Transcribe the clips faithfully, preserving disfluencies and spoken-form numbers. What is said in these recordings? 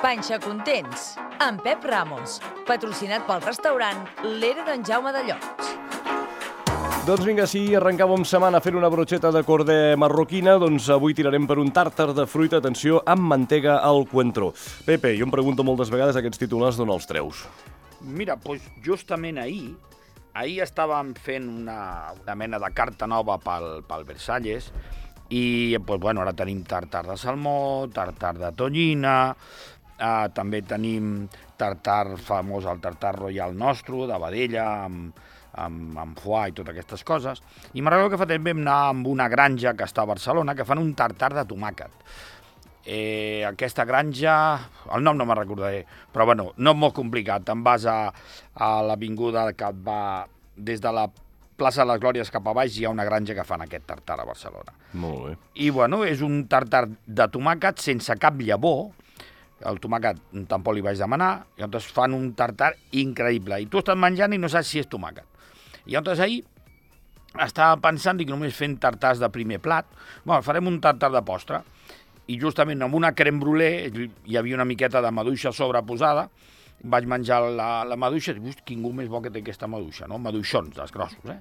Panxa Contents, amb Pep Ramos, patrocinat pel restaurant L'Era d'en Jaume de Llots. Doncs vinga, si arrencàvem setmana fent una brocheta de corder marroquina, doncs avui tirarem per un tàrtar de fruita, atenció, amb mantega al coentró. Pepe, jo em pregunto moltes vegades aquests titulars d'on els treus. Mira, doncs justament ahir, ahir estàvem fent una, una mena de carta nova pel, pel Versalles i doncs, bueno, ara tenim tartar de salmó, tartar de tonyina, eh, també tenim tartar famós, el tartar royal nostre, de vedella, amb, amb, amb foie i totes aquestes coses. I me'n recordo que fa temps vam anar amb una granja que està a Barcelona que fan un tartar de tomàquet. Eh, aquesta granja, el nom no me'n recordaré, però bueno, no és molt complicat. Te'n vas a, a l'avinguda que va des de la plaça de les Glòries cap a baix, hi ha una granja que fan aquest tartar a Barcelona. Molt bé. I bueno, és un tartar de tomàquet sense cap llavor. El tomàquet tampoc li vaig demanar, i llavors fan un tartar increïble. I tu estàs menjant i no saps si és tomàquet. I llavors ahir estava pensant que només fent tartars de primer plat, bueno, farem un tartar de postre, i justament amb una crème brûlée hi havia una miqueta de maduixa sobreposada, vaig menjar la, la maduixa i dic, quin gust més bo que té aquesta maduixa, no? Maduixons, dels grossos, eh?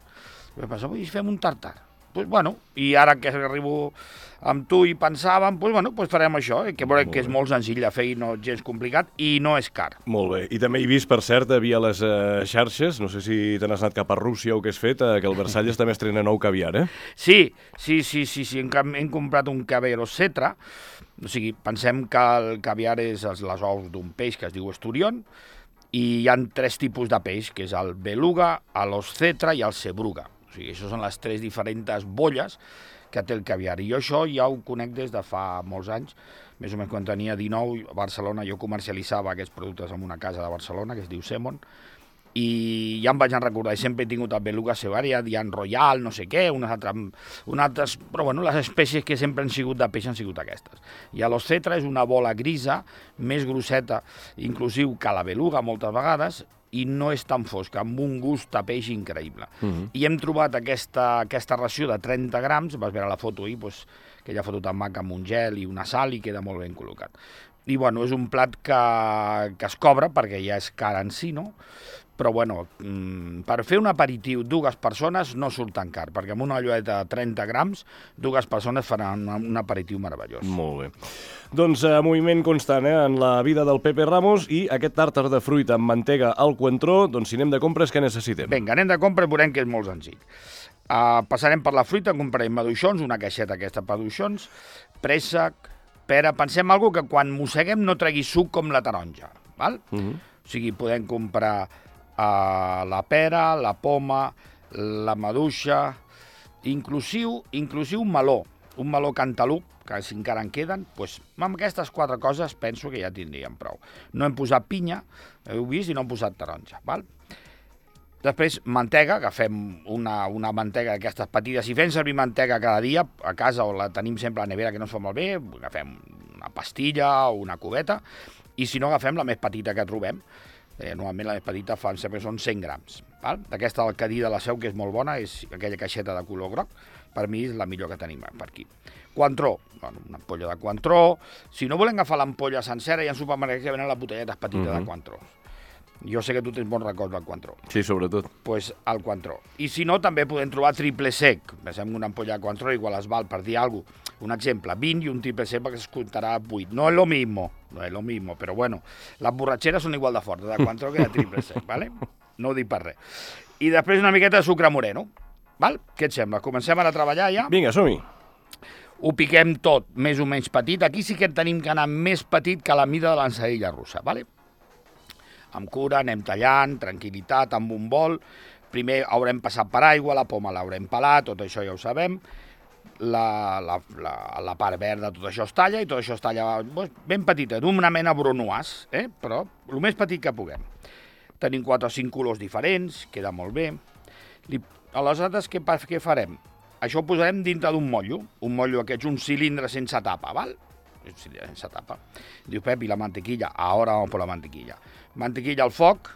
I vaig pensar, vull fem un tartar. Pues bueno, i ara que arribo amb tu i pensàvem, pues bueno, pues farem això, eh? que, que és molt senzill de fer i no gens complicat i no és car. Molt bé, i també he vist, per cert, via les eh, xarxes, no sé si te n'has anat cap a Rússia o què has fet, eh, que el Versalles també estrena nou caviar, eh? Sí, sí, sí, sí, sí. Hem, hem comprat un caviar Ossetra, o sigui, pensem que el caviar és les ous d'un peix que es diu esturión, i hi ha tres tipus de peix, que és el beluga, l'ossetra i el sebruga. O sigui, això són les tres diferents bolles que té el caviar. I jo això ja ho conec des de fa molts anys, més o menys quan tenia dinou, a Barcelona jo comercialitzava aquests productes en una casa de Barcelona que es diu Semon, i ja em vaig recordar, i sempre he tingut el beluga sevaria, hi ha royal, no sé què, unes altres, unes altres, però bueno, les espècies que sempre han sigut de peix han sigut aquestes. I l'ossetra és una bola grisa, més grosseta, inclusiu que la beluga moltes vegades, i no és tan fosca, amb un gust de peix increïble. Uh-huh. I hem trobat aquesta, aquesta ració de trenta grams, vas veure la foto ahir, doncs, aquella foto tan maca amb un gel i una sal, i queda molt ben col·locat. I bueno, és un plat que, que es cobra, perquè ja és car en si, no? Però bueno, per fer un aperitiu dues persones no surt tan car, perquè amb una olleta de trenta grams, dues persones faran un aperitiu meravellós. Molt bé. Doncs eh, moviment constant eh, en la vida del Pepe Ramos, i aquest tàrtar de fruita amb mantega al coentró, doncs si anem de compres, què necessitem? Vinga, anem de compres, veurem que és molt senzill. Uh, passarem per la fruita, comprarem maduixons, una caixeta aquesta de maduixons, préssec, pera, pensem alguna que quan mosseguem no tregui suc com la taronja, val? Uh-huh. O sigui, podem comprar Uh, la pera, la poma, la maduixa, inclusiu, inclusiu un meló, un meló cantalup, que si encara en queden, doncs amb aquestes quatre coses penso que ja tindríem prou. No hem posat pinya, heu vist, i no hem posat taronja, val? Després, mantega, agafem una, una mantega d'aquestes petites. Si fem servir mantega cada dia, a casa o la tenim sempre a la nevera que no es fa malbé, agafem una pastilla o una cubeta, i si no agafem la més petita que trobem. Eh, normalment la més petita fan, sempre són cent grams. Val? D'aquesta del Cadí de la Seu, que és molt bona, és aquella caixeta de color groc, per mi és la millor que tenim per aquí. Coentró, bueno, una ampolla de coentró. Si no volem agafar l'ampolla sencera, hi ha supermercats que venen les botelletes petites uh-huh. de coentró. Jo sé que tu tens bons records del coentró. Sí, sobretot. Doncs pues, el coentró. I si no, també podem trobar triple sec. Pensem una ampolla de coentró, igual es val, per dir alguna cosa. Un exemple, vint i un triple sec perquè es comptarà vuit. No és lo mismo, no és lo mismo, però bueno, les borratxeres són igual de fortes de coentró que de triple sec, ¿vale? No ho dic per res. I després una miqueta de sucre moreno, val? Què et sembla? Comencem ara a treballar ja? Vinga, som-hi. Ho piquem tot més o menys petit. Aquí sí que tenim que anar més petit que la mida de l'ensaïlla russa, ¿vale? Amb cura, anem tallant, tranquil·litat, amb un bol. Primer haurem passat per aigua, la poma l'haurem pelat, tot això ja ho sabem. La, la, la, la part verda, tot això es talla, i tot això es talla ben petita, d'una mena brunoise, eh? Però el més petit que puguem. Tenim quatre o cinc colors diferents, queda molt bé. Li, aleshores, què, què farem? Això ho posarem dintre d'un motllo, un motllo aquests, un cilindre sense tapa, val? Sense tapa. Diu, Pep, i la mantequilla? Ara vamos por la mantequilla. Mantequilla al foc,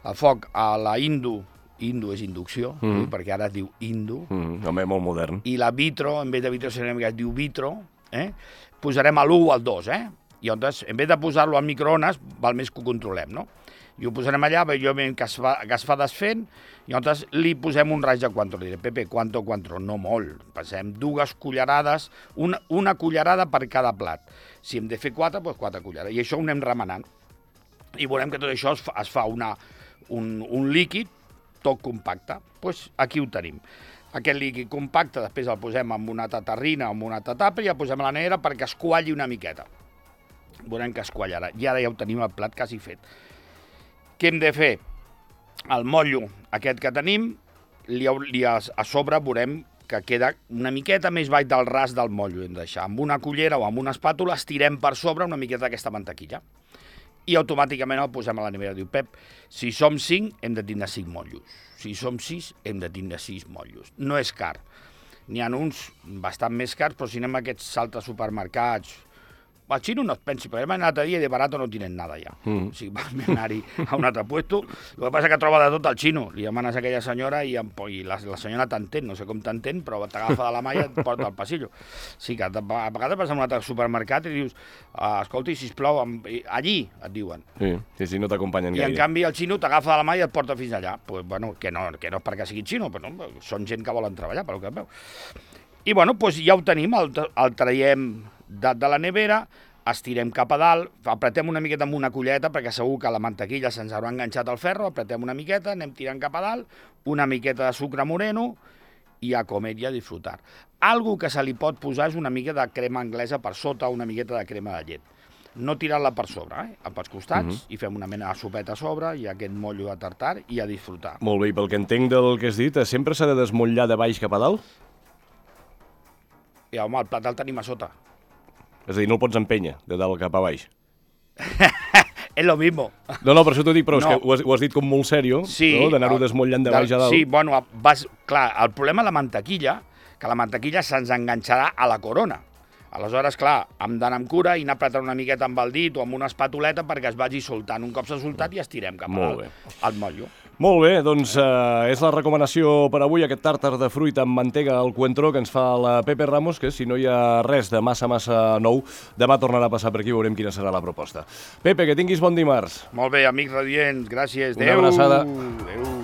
al foc a la Indo, Indo és inducció, mm. perquè ara es diu Indo. Mm, home, molt modern. I la vitro, en vez de vitro, serem que es diu vitro, eh? Posarem a l'u o al dos, eh? I llavors, en vez de posar-lo al microones, val més que ho controlem, no? I ho posarem allà, jo veiem que es fa, que es fa desfent, i llavors li posem un raig de Cointreau. Li diré, Pepe, quanto Cointreau? No molt. Passem dues cullerades, una, una cullerada per cada plat. Si hem de fer quatre, doncs quatre cullerades. I això ho anem remenant. I veurem que tot això es fa, es fa una, un, un líquid tot compacte. Doncs aquí ho tenim. Aquest líquid compacte després el posem en una tatarrina o en una tatapa i el posem a la nevera perquè es qualli una miqueta. Veurem que es quallarà. I ara ja ho tenim el plat quasi fet. Què hem de fer? El motllo aquest que tenim, li, li a, a sobre veurem que queda una miqueta més baix del ras del motllo. Hem de deixar amb una cullera o amb una espàtula, estirem per sobre una miqueta d'aquesta mantequilla. I automàticament el posem a la nevera. Diu, Pep, si som cinc, hem de tindre cinc motllos. Si som sis, hem de tindre sis motllos. No és car. N'hi ha uns bastant més cars, però si anem a aquests altres supermercats... Al xino no et pensi, perquè hem anat a dia i de barato no tienen nada ja. Mm. O sigui, vam anar-hi a un altre puesto. El que passa és que troba de tot al xino. Li demanes a aquella senyora i, i la, la senyora t'entén, no sé com t'entén, però t'agafa de la mà i et porta al passillo. Sí, que a vegades vas a un altre supermercat i dius, escolti, sisplau, allí et diuen. Sí, sí, sí, no t'acompanyen gaire. I en canvi el xino t'agafa de la mà i et porta fins allà. Pues, bueno, que no, que no és perquè sigui xino, però no, són gent que volen treballar, pel que veu. I bueno, doncs ja ho tenim, el, el traiem de, de la nevera, estirem cap a dalt, apretem una miqueta amb una culleta perquè segur que la mantequilla se'ns haurà enganxat al ferro, apretem una miqueta, anem tirant cap a dalt, una miqueta de sucre moreno i a comer i a disfrutar. Algo que se li pot posar és una mica de crema anglesa per sota, una miqueta de crema de llet. No tirar-la per sobre, eh? Pels costats, uh-huh. i fem una mena de sopeta a sobre i aquest motllo de tartar i a disfrutar. Molt bé, i pel que entenc del que has dit, sempre s'ha de desmotllar de baix cap a dalt? I home, el plat el tenim a sota. És a dir, no el pots empènyer de dalt cap a baix. És lo mismo. No, no, per això t'ho dic, però no. És que ho has, ho has dit com molt sèrio, sí, no? D'anar-ho desmotllant de baix a dalt. Sí, bueno, vas, clar, el problema de la mantequilla, que la mantequilla se'ns enganxarà a la corona. Aleshores, clar, hem d'anar amb cura i anar apretant una miqueta amb el dit o amb una espatuleta perquè es vagi soltant. Un cop s'ha soltat i estirem cap al, al motllo. Molt bé, doncs eh, és la recomanació per avui, aquest tàrtar de fruita amb mantega al Cointreau que ens fa la Pepe Ramos, que si no hi ha res de massa, massa nou, demà tornarà a passar per aquí i veurem quina serà la proposta. Pepe, que tinguis bon dimarts. Molt bé, amics radients, gràcies. Una abraçada. Adéu. Adéu.